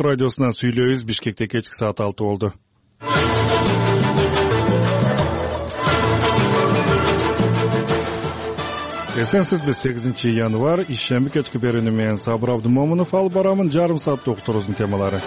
радиосунан сүйлөйбүз. Бишкекте кечки саат 6 болду. Эсенсизби 8 январь ишемби кечки берүүнү менен Сабыр Абдымомунов алып барамын. Жарым сааттык уктуруубуздун темалары.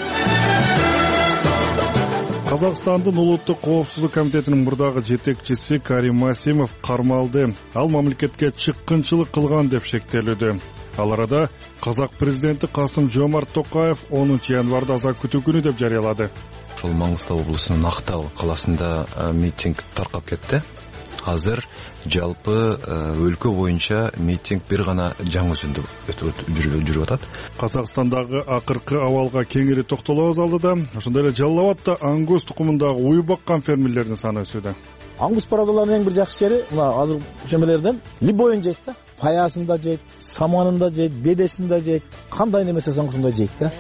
Казакстандын улуттук коопсуздук комитетинин мурдагы жетекчиси Карим Масимов кармалды. Ал мамлекетке чыккынчылык кылган деп шектелүүдө. Ал арада казак президенти Касым-Жомарт Токаев 10 январда аза күтүү күнү деп жарыялады. Ошол Маңгыстау облусунун Актал калаасында митинг таркап кетти. Азыр жалпы өлкө боюнча митинг бир гана жаңы үзүндө жүрүп атат. Казакстандагы акыркы абалга кеңири токтолобуз алдыда. Ошондой эле Жалал Абадта аңгус тукумундагы уй баккан фермерлердин саны өсүүдө. Аңгус парадаларынын эң бир жакшы жери мына азыр ошемелерден любойун жейт да. Паясын да жейт, саманын да жейт, бедесин да жейт. Кандай неме жасасаң ошондой жейт да.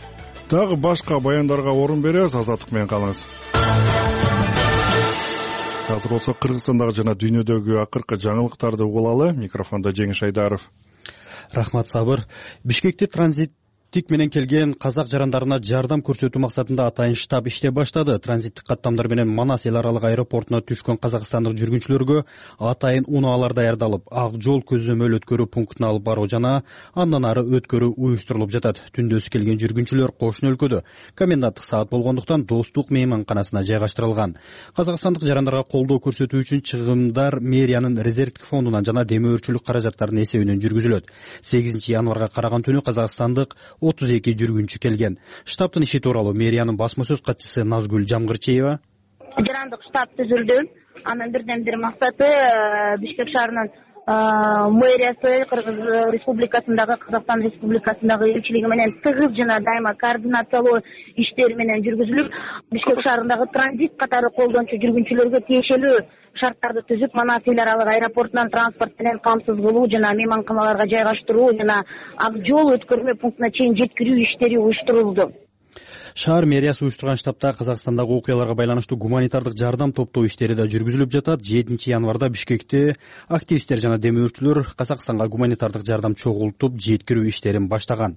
Дагы башка баяндарга орун беребиз. Азаттык менен калыңыз. Азыр болсо Кыргызстандагы жана дүйнөдөгү акыркы жаңылыктарды угулалы. Микрофондо Жеңиш Айдаров. Рахмат, Сабыр. Бишкекте транзиттик менен келген казак жарандарына жардам көрсөтүү максатында атайын штаб иштеп баштады. Транзиттик каттамдар менен Манас эл аралык аэропортуна түшкөн казакстандык жүргүнчүлөргө атайын унаалар даярдалып, ак жол көзөмөл өткөрүү пунктуна алып баруу жана андан ары өткөрүү уюштурулуп жатат. Түндөсү келген жүргүнчүлөр кошуна өлкөдө коменданттык саат болгондуктан Достук мейманканасына жайгаштырылган. Казакстандык жарандарга колдоо көрсөтүү үчүн чыгымдар мэриянын резервдик фондунан жана демөөрчүлүк каражаттарынын эсебинен жүргүзүлөт. 8 январга караган түнү казакстандык 32 жүргүнчү келген. Штабтын иши тууралуу мэриянын басма сөз катчысы Назгүл Жамгырчиева. Жарандык штаб түзүлдү. Анын бирден бир максаты Бишкек шаарынын мэриясы Кыргыз Республикасындагы Казакстан Республикасындагы элчилиги менен тыгыз жана дайыма координациялоо иштери менен жүргүзүлүп, Бишкек шаарындагы транзит катары колдончу жүргүнчүлөргө тиешелүү шарттарды түзүп, Манас эл аралык аэропортунан транспорт менен камсыз кылуу жана мейманканаларга жайгаштыруу жана ак жол өткөрмө пунктуна чейин жеткирүү иштери уюштурулду. Шаар мэриясы уюштурган штабта Казакстандагы окуяларга байланыштуу гуманитардык жардам топтоо иштери да жүргүзүлүп жатат. 7 январда Бишкекте активисттер жана демөөрчүлөр Казакстанга гуманитардык жардам чогултуп, жеткирүү иштерин баштаган.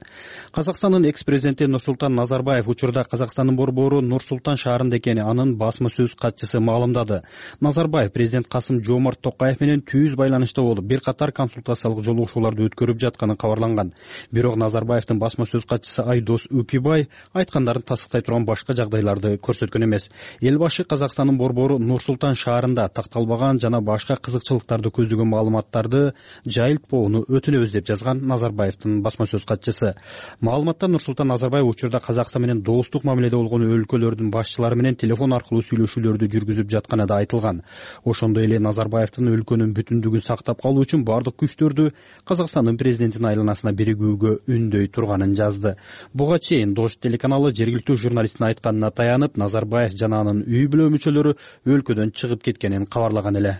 Казакстандын экс-президенти Нурсултан Назарбаев учурда Казакстандын борбору Нур-Султан шаарында экени анын басма сөз катчысы маалымдады. Назарбаев президент Касым-Жомарт Токаев менен түз байланышта болуп, бир катар консультациялык жолугушууларды өткөрүп жатканы кабарланган. Бирок Назарбаевдин басма сөз катчысы Айдос Үкүбай айткандарын тасыктай турган башка жагдайларды көрсөткөн эмес. Эл башы Казакстандын борбору Нур-Султан шаарында такталбаган жана башка кызыкчылыктарды көздөгөн маалыматтарды жайылтпоону өтүнөбүз деп жазган Назарбаевдин басма сөз катчысы. Маалыматта Нур-Султан Назарбаев учурда Казакстан менен достук мамиледе болгон өлкөлөрдүн башчылары менен телефон аркылуу сүйлөшүүлөрдү жүргүзүп жатканы да айтылган. Ошондой эле Назарбаевдин өлкөнүн бүтүндүгүн сактап калуу үчүн бардык күчтөрдү Казакстандын президентинин айланасына биригүүгө үндөй турганын жазды. Буга чейин Дождь телеканалы жергиликтүү журналисттин айтканына таянып, Назарбаев жана анын үй бүлө мүчөлөрү өлкөдөн чыгып кеткенин кабарлаган эле.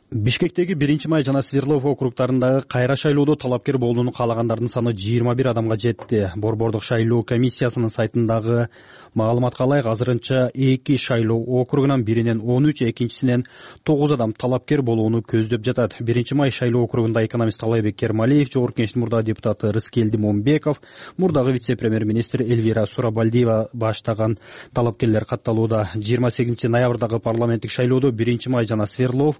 Бишкектеги 1-май жана Свердлов округдарындагы кайра шайлоодо талапкер болууну каалагандардын саны 21 адамга жетти. Борбордук шайлоо комиссиясынын сайтындагы маалыматка ылайык азырынча 2 шайлоо округунан биринен 13, экинчисинен 9 адам талапкер болууну көздөп жатат. 1-май шайлоо округунда экономист Талайбек Кермалиев, Жогорку Кеңештин мурдагы депутаты Рыскелди Момбеков, мурдагы вице-премьер-министр Эльвира Сурабалдиева баштаган талапкерлер катталууда. 28 ноябрдагы парламенттик шайлоодо 1-май жана Свердлов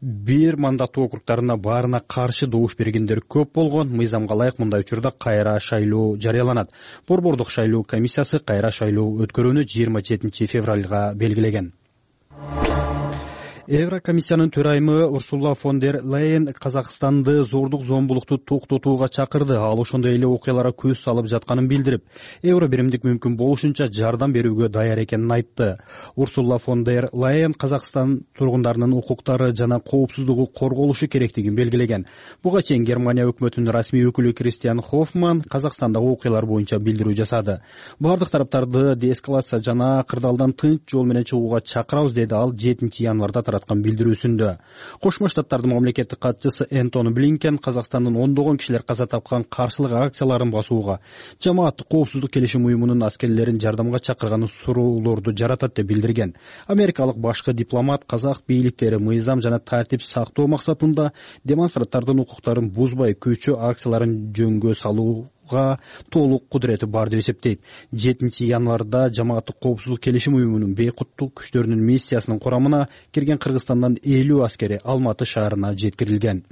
бир мандаттуу округдарына баарына каршы добуш бергендер көп болгон. Мыйзамга ылайык мындай учурда кайра шайлоо жарыяланат. Борбордук шайлоо комиссиясы кайра шайлоо өткөрүүнү 27 февралга белгилеген. Еврокомиссиянын төрайымы Урсула фон дер Лейен Казакстанды зордук зомбулукту токтотууга чакырды. Ал ошондой эле окуяларга көз салып жатканын билдирип, евро биримдик мүмкүн болушунча жардам берүүгө даяр экенин айтты. Урсула фон дер Лейен Казакстан тургундарынын укуктары жана коопсуздугу корголушу керектигин белгилеген. Буга чейин Германия өкмөтүнүн расмий өкүлү Кристиан Хоффман Казакстандагы окуялар боюнча билдирүү жасады. Бардык тараптарды деэскалация жана кырдаалдан тынч жол менен чыгууга чакырабыз, деди ал 7 январда билдирүүсүндө. Кошмо Штаттардын мамлекеттик катчысы Энтони Блинкен Казакстандын ондогон кишилер каза тапкан каршылык акцияларын басууга, жамааттык коопсуздук келишим уюмунун аскерлерин жардамга чакырганы суроолорду жаратат деп билдирген. Америкалык башкы дипломат казак бийликтери мыйзам жана тартип сактоо максатында демонстранттардын укуктарын бузбай көчө акцияларын жөнгө салуу алууга толук кудурети бар деп эсептейт. 7 январда жамааттык коопсуздук келишим уюмунун бейкуттук күчтөрүнүн миссиясынын курамына кирген Кыргызстандан 50 аскери Алматы шаарына жеткирилген.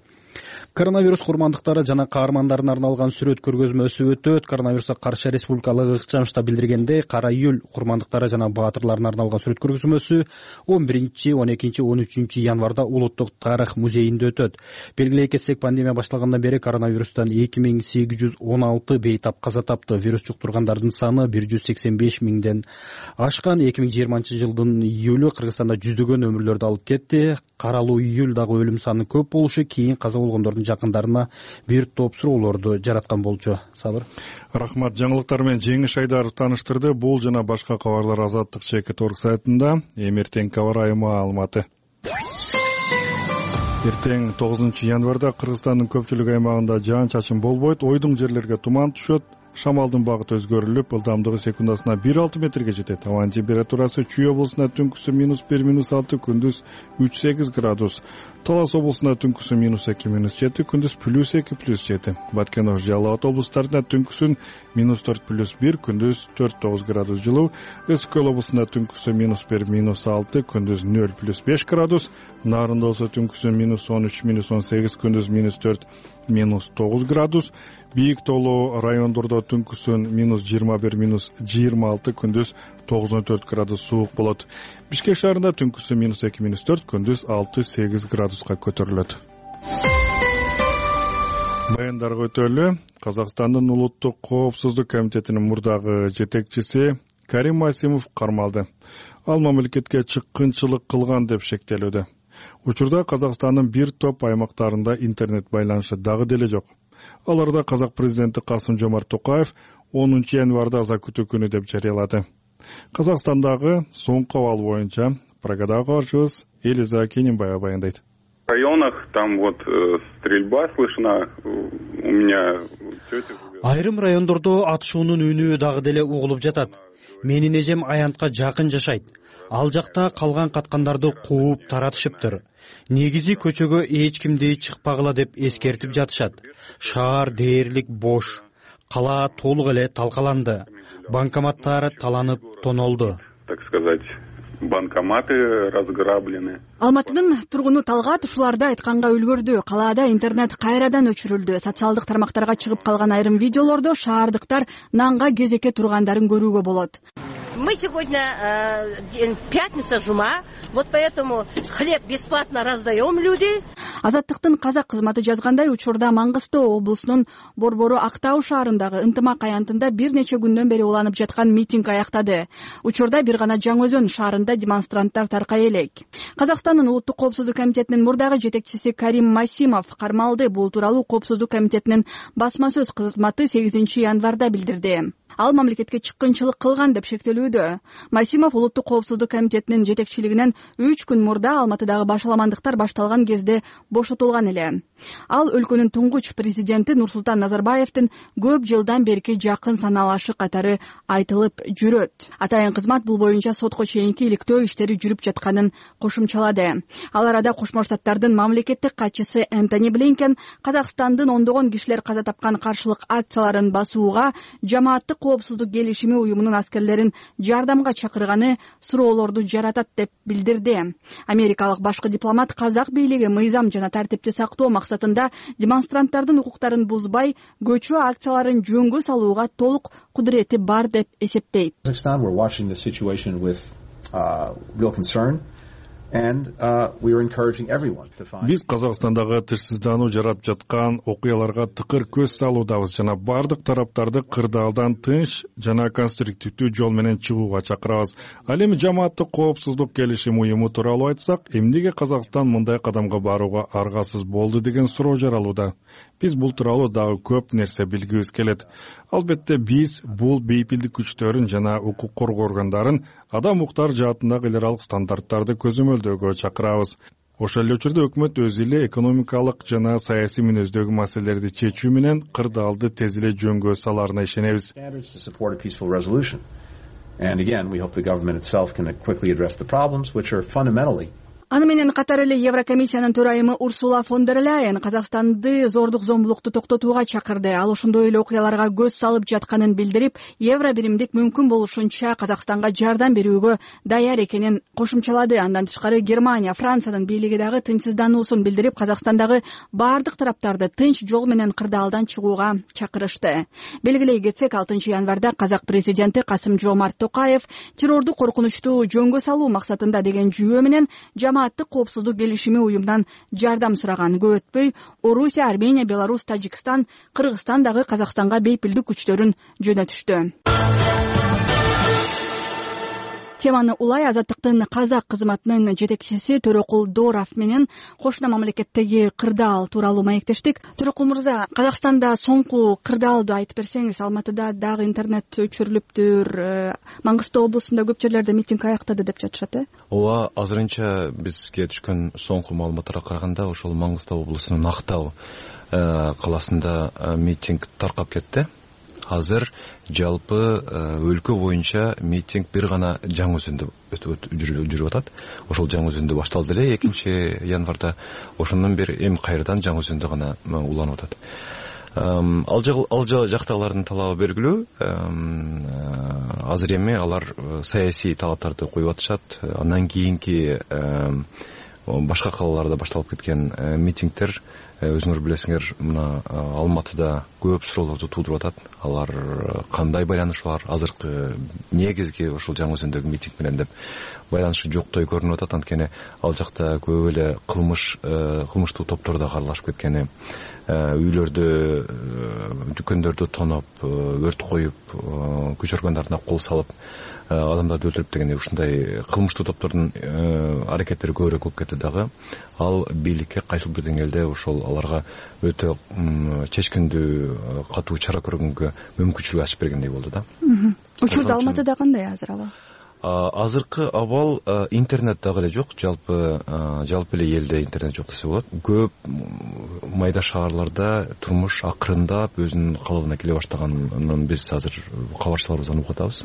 Коронавирус курмандыктары жана каармандарына арналган сүрөт көргөзмөсү өтөт. Коронавируска каршы республикалык ыкчамышта билдиргендей, Кара июль курмандыктары жана баатырларына арналган сүрөт көргөзмөсү 11, 12, 13 январда Улуттук тарых музейинде өтөт. Белгилей кетсек, пандемия башталгандан бери коронавирустан 2816 бейтап каза тапты. Вирус жуктургандардын саны 185 миңден ашкан. 2020 жылдын июлү Кыргызстанда жүздөгөн өмүрлөрдү алып кетти. Каралуу июлдагы өлүм саны көп болушу кийин каза болгондордун жакындарына бир топ суроолорду жараткан болчу. Сабыр. Рахмат. Жаңылыктар менен Жеңиш Айдаров тааныштырды. Бул жана башка кабарлар Азаттык /org сайтында. Эртең кабар айымы Алматы. Эртең 9 январда Кыргызстандын көпчүлүк аймагында жаан-чачын болбойт. Ойдуң жерлерге туман түшөт. Шамалдын багыты өзгөрүлүп, ылдамдыгы секундасына 1,6 метрге жетет. Абанын температурасы Чүй облусунда түнкүсү -1, -6, күндүз 3-8 градус. Талас облусунда түнкүсү -2, -7, күндүз +2, +7. Баткен ошо Жалал Абад облустарында түнкүсүн -4, +1, күндүз 4-9 градус жылуу. Ысык Көл облусунда түнкүсү -1, -6, күндүз 0, +5 градус. Нарында болсо түнкүсү -13, -18, күндүз -4, -9 градус. Бийик тоолуу райондордо түнкүсүн -21, -26, күндүз 9-4 градус суук болот. Бишкек шаарында түнкүсү -2, -4, күндүз 6-8 градуска көтөрүлөт. Баяндарга өтөлү. Казакстандын Улуттук коопсуздук комитетинин мурдагы жетекчиси Карим Масимов кармалды. Ал мамлекетке чыккынчылык кылган деп шектелүүдө. Учурда Казакстандын бир топ аймактарында интернет байланышы дагы деле жок. Аларда казак президенти Касым-Жомарт Токаев 10 январда аза күтүү күнү деп жарыялады. Казакстандагы соңку абал боюнча прогадагы кабарчыбыз Элиза Кененбаева баяндайт. В районах там вот стрельба слышна. У меня тетя. Айрым райондордо атышуунун үнү дагы деле угулуп жатат. Менин эжем аянтка жакын жашайт. Ал жакта калган каткандарды кууп таратышыптыр. Негизи көчөгө эч кимди чыкпагыла деп эскертип жатышат. Шаар дээрлик бош. Кала толук эле талкаланды. Банкоматтар таланып тонолду. Так сказать, банкоматы разграблены. Алматынын тургуну Талгат ушуларды айтканга үлгөрдү. Калаада интернет кайрадан өчүрүлдү. Социалдык тармактарга чыгып калган айрым видеолордо шаардыктар нанга кезекке тургандарын көрүүгө болот. Мы сегодня пятница, жума, вот поэтому хлеб бесплатно раздаем люди. Азаттыктын казак кызматы жазгандай, учурда Маңгыстоо облусунун Борбору Актау шаарындагы ынтымак аянтында бир нече күндөн бери уланып жаткан митинг аяктады. Учурда бир гана Жаңы Өзөн шаарында демонстранттар таркай элек. Казакстандын Улуттук коопсуздук комитетинин мурдагы жетекчиси Карим Масимов кармалды. Бул тууралуу коопсуздук комитетинин басма сөз кызматы 8 январда билдирди. Ал мамлекетке чыккынчылык кылган деп шектелүүдө. Масимов Улуттук коопсуздук комитетинин жетекчилигинен 3 күн мурда Алматыдагы башаламандыктар башталган кезде бошотулган эле. Ал өлкөнүн туңгуч президенти Нурсултан Назарбаевдин көп жылдан берки жакын саналашы катары айтылып жүрөт. Атайын кызмат бул боюнча сотко чейинки иликтөө иштери жүрүп жатканын кошумчалады. Ал арада Кошмо Штаттардын мамлекеттик катчысы Энтони Блинкен Казакстандын ондогон кишилер каза тапкан каршылык акцияларын басууга жамааттык коопсуздук келишими уюмунун аскерлерин жардамга чакырганы суроолорду жаратат деп билдирди. Америкалык башкы дипломат казак бийлиги мыйзам жана тартипти сактоо максатында демонстранттардын укуктарын бузбай, көчүү акцияларын жөнгө салууга толук кудурети бар деп эсептейт. Биз Казакстандагы тышсыздануу жарап жаткан окуяларга тыкыр көз салуудабыз жана бардык тараптарды кырдаалдан тынч жана конструктивдүү жол менен чыгууга чакырабыз. Ал эми жамааттык коопсуздук келишим уюму тууралуу айтсак, эмнеге Казакстан мындай кадамга барууга аргасыз болду деген суроо жаралууда. Биз бул тууралуу дагы көп нерсе билгибиз келет. Албетте биз бул бейпилдик күчтөрүн жана укук коргоо органдарын адам укуктары жаатындагы эл аралык стандарттарды көзөмөлдөөгө чакырабыз. Ошол эле учурда өкмөт өзү эле экономикалык жана саясий мүнөздөгү маселелерди чечүү менен кырдаалды тез эле жөнгө салаарына ишенебиз. Аны менен катар эле Еврокомиссиянын төрайымы Урсула фон дер Ляйен Казакстанды зордук зомбулукту токтотууга чакырды. Ал ошондой эле окуяларга көз салып жатканын билдирип, евро биримдик мүмкүн болушунча Казакстанга жардам берүүгө даяр экенин кошумчалады. Андан тышкары Германия, Франциянын бийлиги дагы тынчсыздануусун билдирип, Казакстандагы бардык тараптарды тынч жол менен кырдаалдан чыгууга чакырышты. Белгилей кетсек, 6 январда казак президенти Касым-Жомарт Токаев террорду коркунучтуу жөнгө салуу максатында деген жүйө менен жамааттык коопсуздук келишими уюмунан жардам сураган. Көп өтпөй Орусия, Армения, Беларусь, Тажикстан, Кыргызстан дагы Казакстанга бейпилдик күчтөрүн жөнөтүштү. Теманы улай Азаттыктын казак кызматынын жетекчиси Төрөкул Дооров менен кошуна мамлекеттеги кырдаал тууралуу маектештик. Төрөкул мырза, Казакстанда соңку кырдаалды айтып берсеңиз. Алматыда дагы интернет өчүрүлүптүр, Маңгыстау облусунда көп жерлерде митинг аяктады деп жатышат, Ооба, азырынча бизге түшкөн соңку маалыматтарга караганда ошол Маңгыстау облусунун Актау каласында митинг таркап кетти. Азыр жалпы өлкө боюнча митинг бир гана жаңы өзүндө жүрүп атат. Ошол жаңы өзүндө башталды эле 2 январда. Ошондон бери эми кайрадан жаңы өзүндө гана уланып атат. Ал жактагылардын талабы белгилүү. Азыр эми алар саясий талаптарды коюп атышат. Андан кийинки башка калаларда башталып кеткен митингдер, өзүңөр билесиңер, мына Алматыда көп суроолорду туудуруп атат. Алар кандай байланышы бар? Азыркы негизги ошол жаңы өзүндөгү митинг менен деп байланышы жоктой көрүнүп атат. Анткени ал жакта көп эле кылмыштуу топтор да аралашып кеткени, үйлөрдү, дүкөндөрдү тоноп, өрт коюп, күч органдарына кол салып, адамдарды өлтүрүп дегендей ушундай кылмыштуу топтордун аракеттери көбүрөөк болуп кетти дагы. Ал бийликке кайсыл бир деңгээлде ошол аларга өтө чечкиндүү, катуу чара көргөнгө мүмкүнчүлүк ачып бергендей болду да. Учурда Алматыда кандай азыр абал? Азыркы абал интернет дагы эле жок. Жалпы эле элде интернет жок десе болот. Көп майда шаарларда турмуш акырындап өзүнүн калыбына келе баштаганын биз азыр кабарчыларыбыздан угуп атабыз.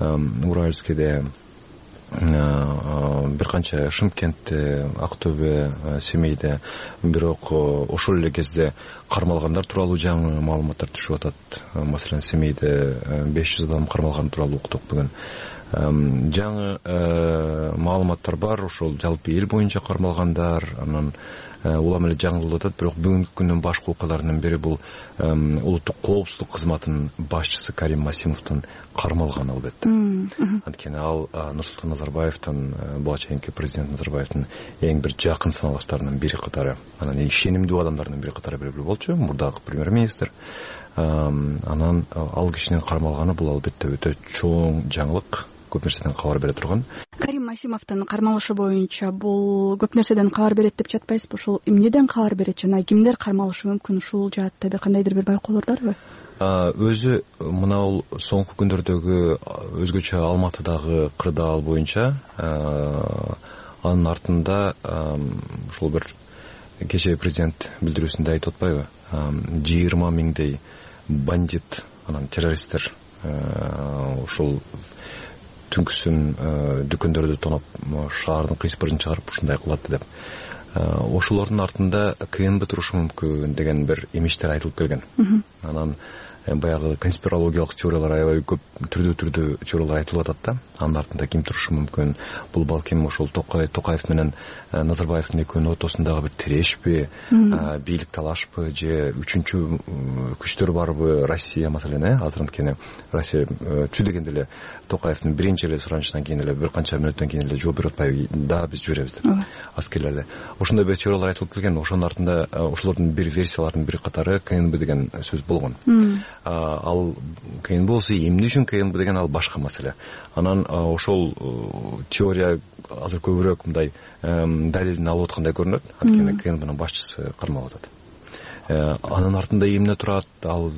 Уральскийде, бир канча Шымкентте, Актөбө, Семейде, бирок ошол эле кезде кармалгандар тууралуу жаңы маалыматтар түшүп атат. Маселен, Семейде 500 адам кармалган тууралуу уктук бүгүн. Жаңы маалыматтар бар, ошол жалпы эл боюнча кармалгандар, анан улам эле жаңылып атат. Бирок бүгүнкү күндүн башкы окуяларынын бири бул улуттук коопсуздук кызматынын башчысы Карим Масимовдун кармалганы, албетте. Анткени ал Нурсултан Назарбаевдин, болочокки президент Назарбаевдин эң бир жакын саналаштарынын бири катары, анан эң ишенимдүү адамдарынын бири катары белгилүү болчу, мурдагы премьер-министр. Анан ал кишинин кармалганы бул албетте өтө чоң жаңылык, көп нерседен кабар бере турган. Карим Масимовдун кармалышы боюнча бул көп нерседен кабар берет деп жатпайсызбы? Ошол эмнеден кабар берет жана кимдер кармалышы мүмкүн? Ушул жаатта кандайдыр бир байкоолор барбы? Өзү мына бул соңку күндөрдөгү өзгөчө Алматыдагы кырдаал боюнча, анын артында ушул бир кечээ президент билдирүүсүндө айтып атпайбы? 20 миңдей бандит, анан террористтер ушул түнкүсүн дүкөндөрдү тоноп, шаардын кыйспырын чыгарып ушундай кылат деп. Ошолордун артында КНБ турушу мүмкүн деген бир имиштер айтылып келген. Анан баягы конспирологиялык теориялар аябай көп түрдүү теориялар айтылып атат да. Анын артында ким турушу мүмкүн? Бул балким ошол Токаев менен Назарбаевдин экөөнүн ортосундагы бир тирешпи, бийлик талашпы, же үчүнчү күчтөр барбы? Россия маселен, азыр анткени Россия чү дегенде эле Токаевдин биринчи эле суранышынан кийин эле бир канча мүнөттөн кийин эле жооп берип атпайбы? Да, биз жиберебиз деп. Аскерлерди. Ошондой бир теориялар айтылып келген. Ошонун артында ошолордун бир версияларынын бир катары КНБ деген сөз болгон. Ал КНБ болсо эмне үчүн КНБ деген ал башка маселе. Анан ошол теория азыр көбүрөөк мындай далилин алып аткандай көрүнөт. Анткени КНБнын башчысы кармалып атат. Анын артында эмне турат? Ал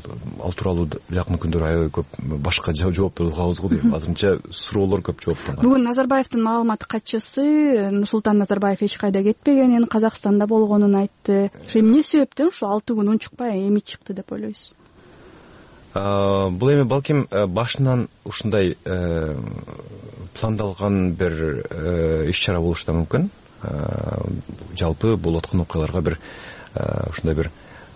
тууралуу жакын күндөр аябай көп башка жооптор угабыз го дейм. Азырынча суроолор көп жооптон. Бүгүн Назарбаевдин маалымат катчысы Нурсултан Назарбаев эч кайда кетпегенин, Казакстанда болгонун айтты. Эмне себептен ушу 6 күн унчукпай эми чыкты деп ойлойсуз? Бул эми балким башынан ушундай пландалган бир иш-чара болушу да мүмкүн. жалпы болуп аткан окуяларга бир ушундай бир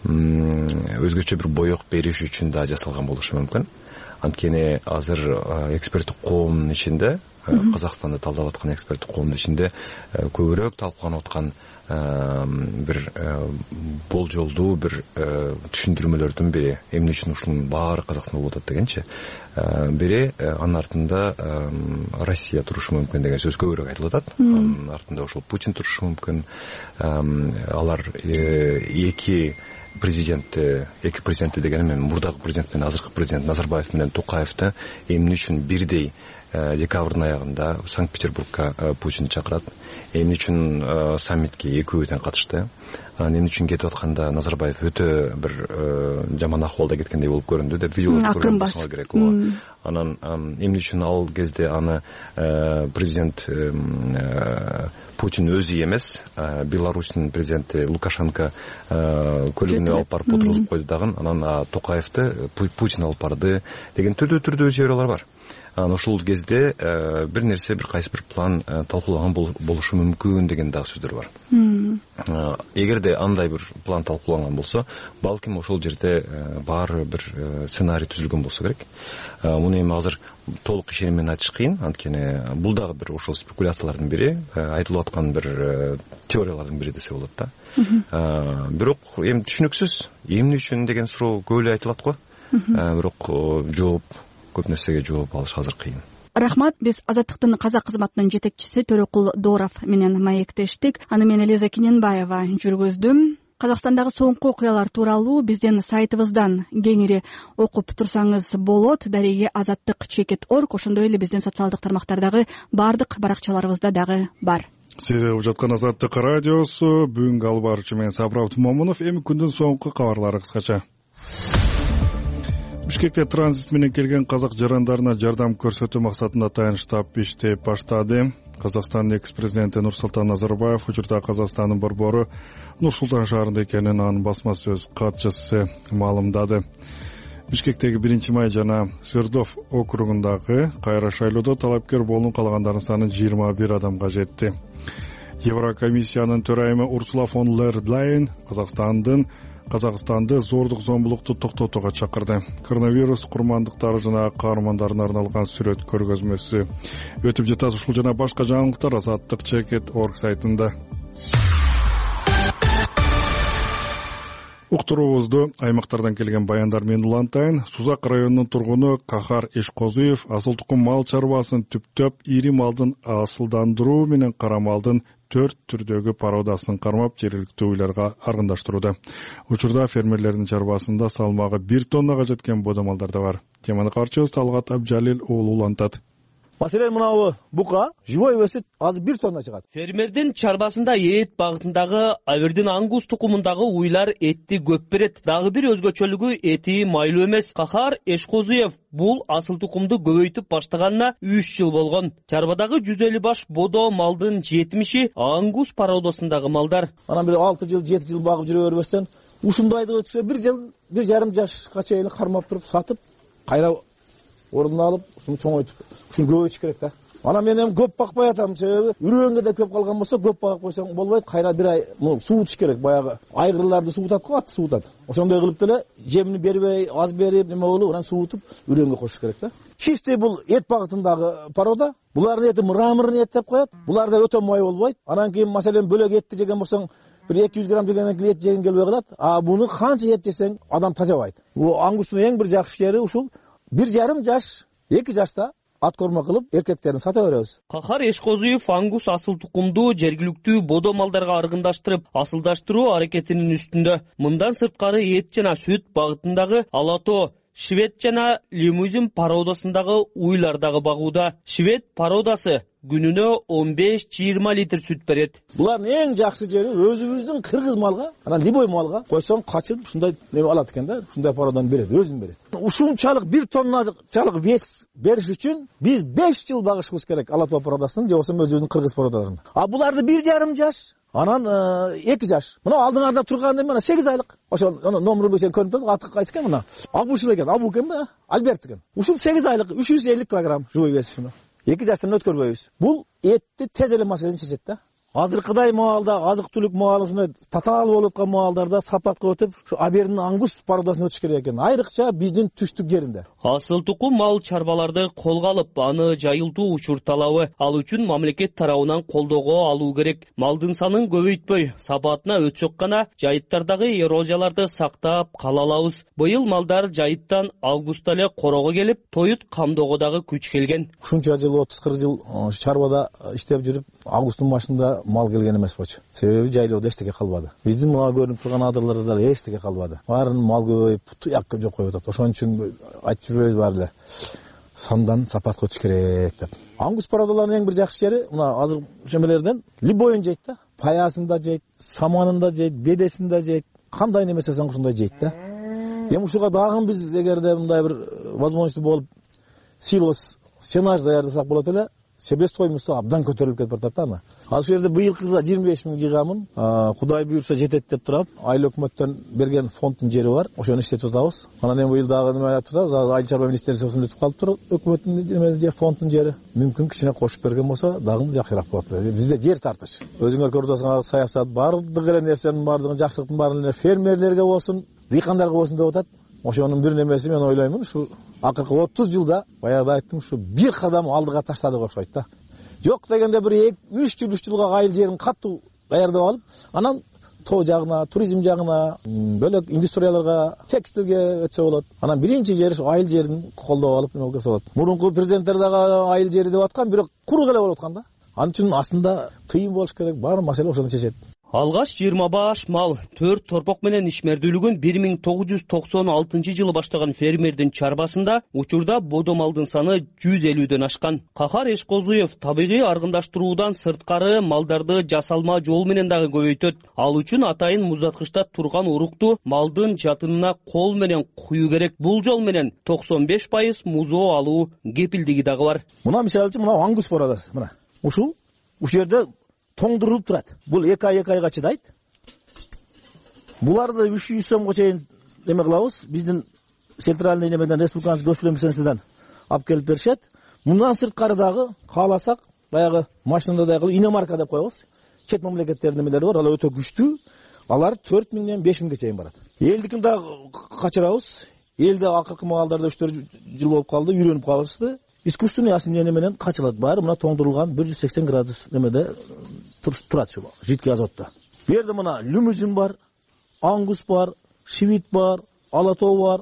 өзгөчө бир боек бериш үчүн да жасалган болушу мүмкүн. Анткени азыр эксперттик коомдун ичинде, Казакстанды талдап аткан эксперттик коомдун ичинде көбүрөөк талкууланып аткан бир болжолдуу бир түшүндүрмөлөрдүн бири эмне үчүн ушунун баары Казакстанда болуп атат дегенчи бири анын артында Россия турушу мүмкүн деген сөз көбүрөөк айтылып атат. Анын артында ушул Путин турушу мүмкүн. Алар эки президентти дегеним мен мурдагы президент менен азыркы президент Назарбаев менен Токаевди эмне үчүн бирдей декабрдын аягында Санкт-Петербургка Путин чакырат, эмне үчүн саммитке экөө тең катышты, эмне үчүн кетип атканда Назарбаев өтө бир жаман акыбалда кеткендей болуп көрүндү деп видеолорду көргөн болсоңор керек. Анан эмне үчүн ал кезде аны президент Путин өзү эмес, Беларусьтун президенти Лукашенко көлүгүнө алып барып отургузуп койду дагы, анан Токаевди Путин алып барды деген түрдүү теориялар бар. Ошол кезде бир нерсе, бир кайсы бир план талкуулаган болушу мүмкүн деген дагы сөздөр бар. Эгерде андай бир план талкууланган болсо, балким ошол жерде баары бир сценарий түзүлгөн болсо керек. Муну эми азыр толук ишеним менен айтыш кыйын, анткени бул дагы бир ошол спекуляциялардын бири, айтылып аткан бир теориялардын бири десе болот да. Бирок эми түшүнүксүз, эмне үчүн деген суроо көп эле айтылат го. Бирок көп нерсеге жооп алыш азыр кыйын. Рахмат. Биз Азаттыктын казак кызматынын жетекчиси Төрөкул Дооров менен маектештик. Аны мен Элиза Кененбаева жүргүздүм. Казакстандагы соңку окуялар тууралуу биздин сайтыбыздан кеңири окуп турсаңыз болот. Дареги azattik.org, ошондой эле биздин социалдык тармактардагы баардык баракчаларыбызда дагы бар. Сиз угуп жаткан Азаттык радиосу, бүгүнкү алып баруучу мен Сабыр Тумамунов. Эми күндүн соңку кабарлары кыскача. Бишкекте транзит менен келген казак жарандарына жардам көрсөтүү максатында тайын штаб иштеп баштады. Казакстандын экс-президенти Нурсултан Назарбаев учурда Казакстандын борбору Нур-Султан шаарында экенин анын басма сөз катчысы маалымдады. Бишкектеги 1-май жана Свердлов округундагы кайра шайлоодо талапкер болууну каалагандардын саны 21 адамга жетти. Еврокомиссиянын төрайымы Урсула фон дер Ляйен Казакстанды зордук зомбулукту токтотууга чакырды. Коронавирус курмандыктары жана каармандарына арналган сүрөт көргөзмөсү өтүп жатат. Ушул жана башка жаңылыктар azattik.org сайтында. Уктуруубузду аймактардан келген баяндар менен улантайын. Сузак районунун тургуну Кахар Эшкозуев асыл тукум мал чарбасын түптөп ири малдын асылдандыруу менен кара малдын 4 түрдөгү пародасын кармап жергиликтүү уйларга аргындаштырууда. Учурда фермерлердин чарбасында салмагы 1 тоннага жеткен бодомалдар да бар. Теманы каарчыбыз Талгат Абжалил уулу улантат. Маселен мынабу бука живой өсүп азыр 1 тонна чыгат. Фермердин чарбасында эт багытындагы абердин ангус тукумундагы уйлар этти көп берет. Дагы бир өзгөчөлүгү эти майлуу эмес. Кахар Эшкозуев бул асыл тукумду көбөйтүп баштаганына 3 жыл болгон. Чарбадагы 150 баш бодо малдын 70-и ангус пародасындагы малдар. Анан бир 6 жыл, 7 жыл багып жүрө бербестен ушундайды өтсө 1 жыл, 1,5 жашка чейин кармап туруп сатып, кайра ордуна алып, ушуну чоңойтуп, ушуну көбөйтүш керек да. Анан мен эми көп бакпай атам, себеби үрөөнгө да көп калган болсо көп багып койсоң болбойт. Кайра бир ай суутуш керек, баягы айгырларды суутат го, атты суутат. Ошондой кылып деле жемини бербей, аз берип, неме болуп, анан суутуп үрөөнгө коюш керек да. Чисти бул эт багытындагы порода. Булардын эти мраморный эт деп коет. Буларда өтө май болбойт. Анан кийин маселен бөлөк этти жеген болсоң бир 200 грамм жегенден кийин эт жеген келбей калат. Буну канча эт жесең адам тазабайт. Бул ангустун эң бир жакшы жери ушул 1,5 жаш, 2 жашта ат корма кылып эркектерин сата беребиз. Кахар Эшкозуев ангус асыл тукумду жергиликтүү бодо малдарга аргындаштырып, асылдаштыруу аракетинин үстүндө. Мындан сырткары эт жана сүт багытындагы алато, швед жана лимузин пародасындагы уйлардагы багууда. Швед пародасы күнүнө 15-20 литр сүт берет. Булардын эң жакшы жери өзүбүздүн кыргыз малга, анан либой малга койсоң качып ушундай неме алат экен да, ушундай пародан берет, өзүн берет. Ушунчалык 1 тонначалык вес бериш үчүн биз 5 жыл багышыбыз керек алато пародасын, же болбосо өзүбүздүн кыргыз пародаларын. Буларды 1,5 жаш, анан 2 жаш. Мына алдыңарда турган мына 8 айлык. Ошол номеру бешен көрүнүп турат, аты кайсы экен мына? Абушул экен, Абу экен да, Альберт экен. Ушул 8 айлык 350 кг живой вес ушуну. 2 жаштан өткөрбөйбүз. Бул этти тез эле маселени чечет да. азыркыдай маалда азык түлүк маалы ушундай татаал болуп аткан маалдарда сапатка өтүп ушу Абердин ангус породасын өтүш керек экен, айрыкча биздин түштүк жеринде. Асыл тукум мал чарбаларды колго алып, аны жайылтуу учур талабы, ал үчүн мамлекет тарабынан колдоого алуу керек. Малдын санын көбөйтпөй, сапатына өтсөк гана жайыттардагы эрозияларды сактап кала алабыз. Быйыл малдар жайыттан августта эле корого келип, тоют камдоого дагы күч келген. Ушунча жыл 30-40 жыл чарбада иштеп жүрүп, августтун башында мал келген эмес болчу. Себеби жайлоодо эчтеке калбады. Биздин мына көрүнүп турган адырларда эчтеке калбады. Баарын мал көбөйүп, туяк жок коюп атат. Ошон үчүн айтып жүрөбүз баары эле. Сандан сапатка өтүш керек деп. Ангус породаларынын эң бир жакшы жери мына азыр шемелерден любойун жейт да. Паясын да жейт, саманын да жейт, бедесин да жейт. Кандай неме жасасаң ушундай жейт да. Эми ушуга дагы биз эгерде мындай бир возможность болуп силос сенаж даярдасак болот эле, себестоимосту абдан көтөрүлүп кетип атат да аны. Ал жерде быйылкыга 25 миң жыйганмын. Кудай буйрса жетет деп турап, айыл өкмөттөн берген фонддун жери бар. Ошону иштетип атабыз. Анан эми быйыл дагы неме айтып атабыз, айыл чарба министерствосунун өтүп калыптыр. Өкмөттүн неме же фонддун жери. Мүмкүн кичине кошуп берген болсо, дагы жакшыраак болот. Бизде жер тартыш. Өзүңөр көрүп атасыңар, саясат бардык эле нерсенин бардыгын, жакшылыктын баарын эле фермерлерге болсун, дыйкандарга болсун деп атат. Ошонун бир немеси мен ойлоймун, ушу акыркы 30 жылда баягыда айттым, ушу бир кадам алдыга таштадык окшойт да. Жок дегенде бир 3 жылга айыл жерин катуу даярдап алып, анан тоо жагына, туризм жагына, бөлөк индустрияларга, текстилге өтсө болот. Анан биринчи жери ушу айыл жерин колдоп алып неме кылса болот. Мурунку президенттер дагы айыл жери деп аткан, бирок курук эле болуп аткан да. Анын үчүн астында тыйым болуш керек, баары маселе ошону чечет. Алгаш 20 баш мал, 4 торпок менен ишмердүүлүгүн 1996 жылы баштаган фермердин чарбасында учурда бодо малдын саны 150дөн ашкан. Кахар Эшкозуев табигый аргындаштыруудан сырткары малдарды жасалма жол менен дагы көбөйтөт. Ал үчүн атайын муздаткычта турган урукту малдын жатынына кол менен куюу керек. Бул жол менен 95% музоо алуу кепилдиги дагы бар. Мына мисалы үчүн мына ангус порадасы, мына. Ушул жерде тоңдурулуп турат. Бул 2 айга чыдайт. Буларды 300 сомго чейин неме кылабыз. Биздин центральный немеден, республиканский государственныйдан алып келип беришет. Мындан сырткары дагы кааласак, баягы машинада кылып иномарка деп коебуз. Чет мамлекеттердин немелери бар, алар өтө күчтүү. Алар 4 миңден 5 миңге чейин барат. Элдикин дагы качырабыз. Элде акыркы маалдарда 3-4 жыл болуп калды, үйрөнүп калышты. Искусственный осенение менен качылат. Баары мына тоңдурулган 180 градус немеде турат ушул жидкий азотто. Бу жерде мына лимузин бар, ангус бар, шивит бар, алатоо бар.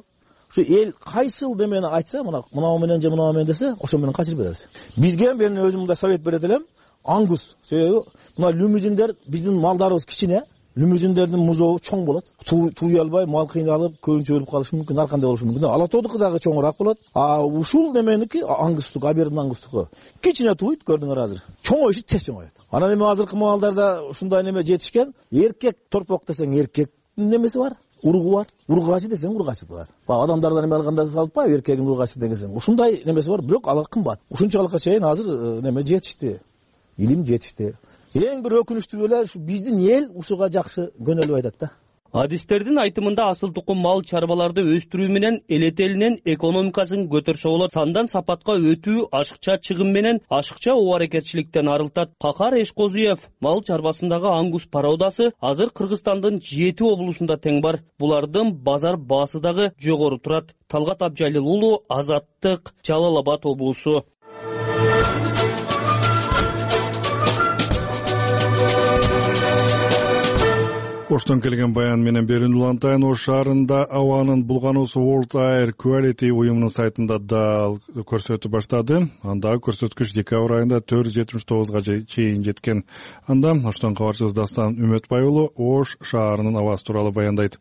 Ушу эл кайсыл демени айтса, мына менен же мына менен десе, ошо менен качырып беребиз. Бизге мен өзүм мындай совет берет элем, ангус. Себеби мына лимузиндер биздин малдарыбыз кичине. Лимузиндердин музоо чоң болот. Туй албай, мал кыйналып, көбүнчө өлүп калышы мүмкүн, ар кандай болушу мүмкүн. Алатоодуку дагы чоңураак болот. Ушул неменики ангустук, Абердин ангустуку. Кичине туйт, көрдүңөр азыр. Чоңоюшу тез чоңоет. Анан эми азыркы маалдарда ушундай неме жетишкен. Эркек торпок десең эркектин немеси бар, уругу бар. Ургачы десең ургачы бар. Адамдардан эме алганда салпайбы, эркегин ургачы дегенсең. Ушундай немеси бар, бирок алар кымбат. Ушунчалыкка чейин азыр неме жетишти. Илим жетишти. Эң бир өкүнүчтүү эле ушу биздин эл ушуга жакшы көнөлүп айтат да. Адистердин айтымында асыл тукум мал чарбаларды өстүрүү менен эл элинин экономикасын көтөрсө болот. Сандан сапатка өтүү ашыкча чыгым менен ашыкча оо аракетчиликтен арылтат. Кахар Эшкозуев мал чарбасындагы ангус породасы азыр Кыргызстандын 7 облусунда тең бар. Булардын базар баасы дагы жогору турат. Талгат Абжалил уулу, Азаттык, Жалал Абад облусу. Оштон келген баян менен Берин Улантайын Ош шаарында абанын булгануусу World Air Quality уюмунун сайтында дал көрсөтүп баштады. Андагы көрсөткүч декабрь айында 479 чейин жеткен. Анда Оштон кабарчыбыз Дастан Үмөтбай уулу Ош шаарынын абасы тууралуу баяндайт.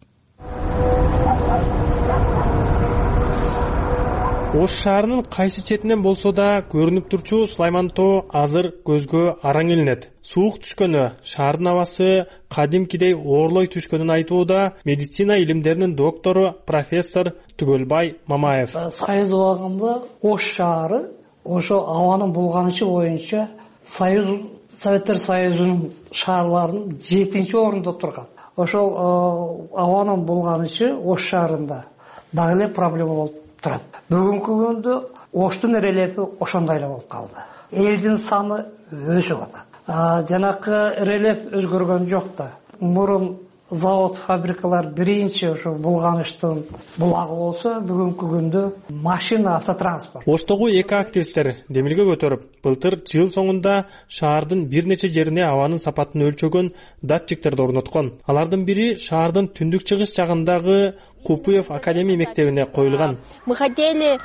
Ош шаарынын кайсы четинен болсо да көрүнүп турчу Сулайман тоо азыр көзгө араң илинет. Суук түшкөнү, шаардын абасы кадимкидей оорлой түшкөнүн айтууда медицина илимдеринин доктору профессор Түгөлбай Мамаев. Союз убагында Ош шаары ошо абанын булганычы боюнча Советтер Союзунун шаарларынын 7-орунда турган. Ошол абанын булганычы Ош шаарында дагы эле проблема болуп турат. Бүгүнкү күндө Оштун рельефи ошондой эле болуп калды. Элдин саны өсүп атат. Жанакы рельеф өзгөргөн жок да. Мурун завод, фабрикалар биринчи ошо булганыштын булагы болсо, бүгүнкү күндө машина, автотранспорт. Оштогу эки активисттер демилге көтөрүп, былтыр жыл соңунда шаардын бир нече жерине абанын сапатын өлчөгөн датчиктерди орноткон. Алардын бири шаардын түндүк чыгыш жагындагы Купуев академия мектебине коюлган. Мы хотели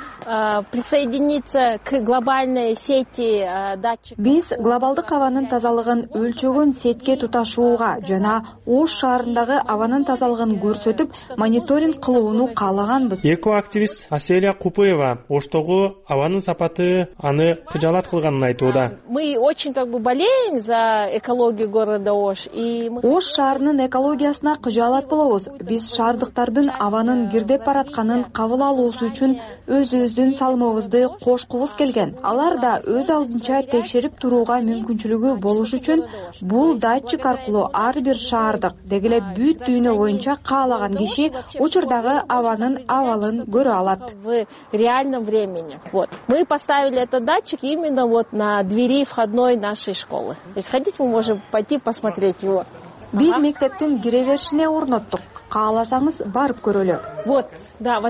присоединиться к глобальной сети датчиков. Биз глобалдык абанын тазалыгын өлчөгөн сетке туташууга жана Ош шаарындагы абанын тазалыгын көрсөтүп, мониторинг кылууну каалаганбыз. Эко-активист Аселия Купуева Оштогу абанын сапаты аны кыжаалат кылганын айтууда. Мы очень болеем за экологию города Ош. Ош шаарынын экологиясына кыжаалат болобуз. Биз шаардыктардын абанын кирдеп баратканын кабыл алуусу үчүн өзүбүздүн салымыбызды кошкубуз келген. Алар да өз алдынча текшерип турууга мүмкүнчүлүгү болуш үчүн бул датчик аркылуу ар бир шаардык, деги эле бүт дүйнө боюнча каалаган киши учурдагы абанын абалын көрө алат. В реальном времени. Мы поставили этот датчик именно на двери входной нашей школы. Если хотите, мы можем пойти посмотреть его. Биз мектептин кире беришине орноттук. Кааласаңыз барып көрөлү. Вот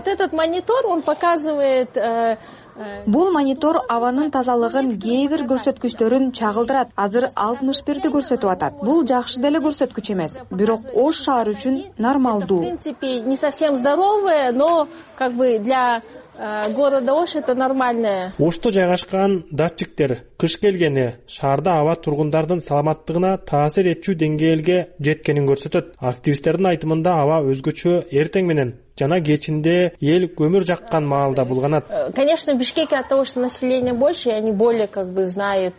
этот монитор, он показывает. Бул монитор абанын тазалыгын кээ бир көрсөткүчтөрүн чагылдырат. Азыр 61-ди көрсөтүп атат. Бул жакшы деле көрсөткүч эмес, бирок Ош шаары үчүн нормалдуу. В принципе, не совсем здоровое, но для города Ош это нормальное. Ошто жайгашкан датчиктер кыш келгени шаарда аба тургундардын саламаттыгына таасир этчү деңгээлге жеткенин көрсөтөт. Активисттердин айтымында аба өзгөчө эртең менен жана кечинде эл көмүр жаккан маалда булганат. Конечно, в Бишкеке от того, что население больше, и они более знают.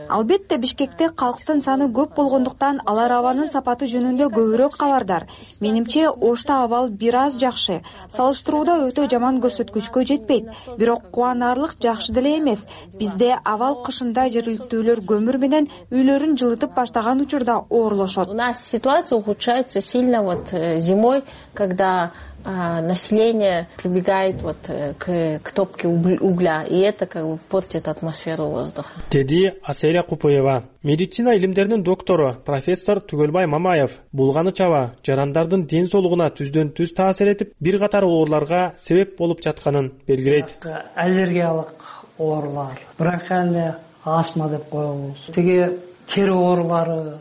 Албетте Бишкекте калктын саны көп болгондуктан алар абанын сапаты жөнүндө көбүрөөк кабардар. Менимче Ошто абал бир аз жакшы. Салыштырууда өтө жаман көрсөткүчкө жетпейт. Бирок кубанарлык жакшы деле эмес. Бизде абал кышында жергиликтүүлөр көмүр менен үйлөрүн жылытып баштаган учурда оорлошот. У нас ситуация ухудшается сильно зимой, когда население прибегает к топке угля, и это портит атмосферу воздуха. Деди Аселия Купуева. Медицина илимдеринин доктору профессор Түгөлбай Мамаев булганы чаба жарандардын ден соолугуна түздөн түз таасир этип, бир катар ооруларга себеп болуп жатканын белгилейт. Аллергиялык оорулар, бронхиальный астма деп коебуз. Тиги тери оорулары,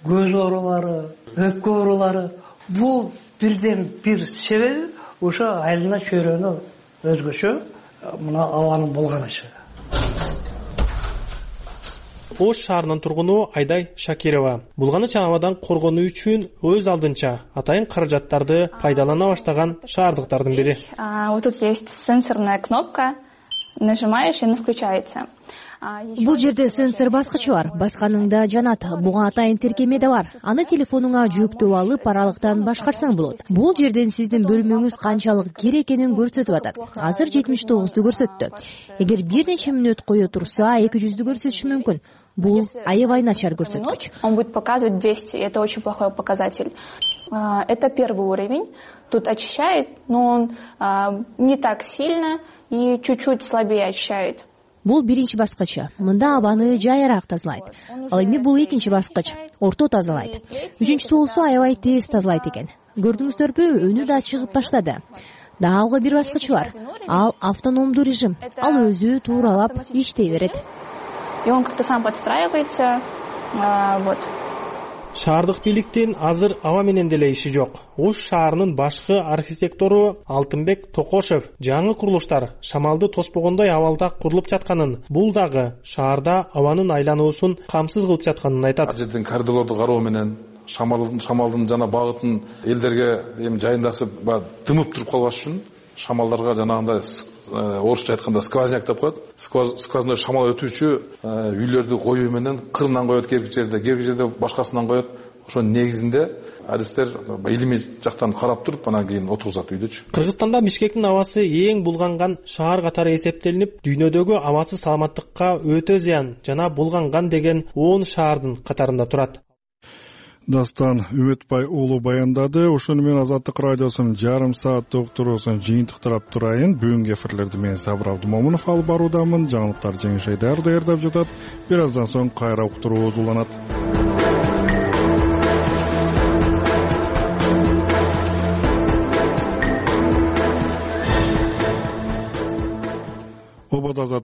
көз оорулары, өпкө оорулары, бул бирден бир себеби ошо айлана чөйрөнү өзгөчө мына абанын булганышы. Ош шаарынын тургуну Айдай Шакирова булганыч абадан коргонуу үчүн өз алдынча атайын каражаттарды пайдалана баштаган шаардыктардын бири. Вот тут есть сенсорная кнопка, нажимаешь и она включается. Бул жерде сенсор баскычы бар, басканыңда жанат. Буга атайын тиркеме да бар. Аны телефонуңа жүктөп алып, аралыктан башкарсаң болот. Бул жерден сиздин бөлмөңүз канчалык кир экенин көрсөтүп атат. Азыр 79-ду көрсөттү. Эгер бир нече мүнөт кое турса, 200-дү көрсөтүшү мүмкүн. Бул аябай начар көрсөткүч. Он будет показывать 200, и это очень плохой показатель. Это первый уровень. Тут очищает, но он не так сильно и чуть-чуть слабее очищает. Бул биринчи баскычы. Мында абаны жайыраак тазалайт. Ал эми бул экинчи баскыч. Орто тазалайт. Үчүнчүсү болсо аябай тез тазалайт экен. Көрдүңүздөрбү, өнү да чыгып баштады. Дагы бир баскыч бар. Ал автономдуу режим. Ал өзү тууралап иштей берет. И он как-то сам подстраивается. Шаардык бийликтин азыр аба менен деле иши жок. Ош шаарынын башкы архитектору Алтынбек Токошев жаңы курулуштар шамалды тоспогондой абалда курулуп жатканын, бул дагы шаарда абанын айлануусун камсыз кылып жатканын айтат. Жерден коридорлорду кароо менен шамалдын жана багытын элдерге жайындасып дымып туруп калбаш үчүн шамалдарга жанагындай орусча айтканда сквозняк деп коет. Сквозной шамал өтүүчү үйлөрдү коюу менен кырынан коет, керки жерде башкасынан коет. Ошонун негизинде адистер илимий жактан карап туруп, анан кийин отургузат үйдөчү. Кыргызстанда Бишкектин абасы эң булганган шаар катары эсептелинип, дүйнөдөгү абасыз саламаттыкка өтө зыян жана булганган деген 10 шаардын катарында турат. Дастан Үмүтбай уулу баяндады. Ошону менен Азаттык радиосунун жарым сааттык уктуруусун жыйынтыктырап турайын. Бүгүнкү эфирлерди мен Сабыр Абдымомунов алып баруудамын. Жаңылыктар жеңишей даярдап жатат. Бир аздан соң кайра уктуруубуз уланат. Ободо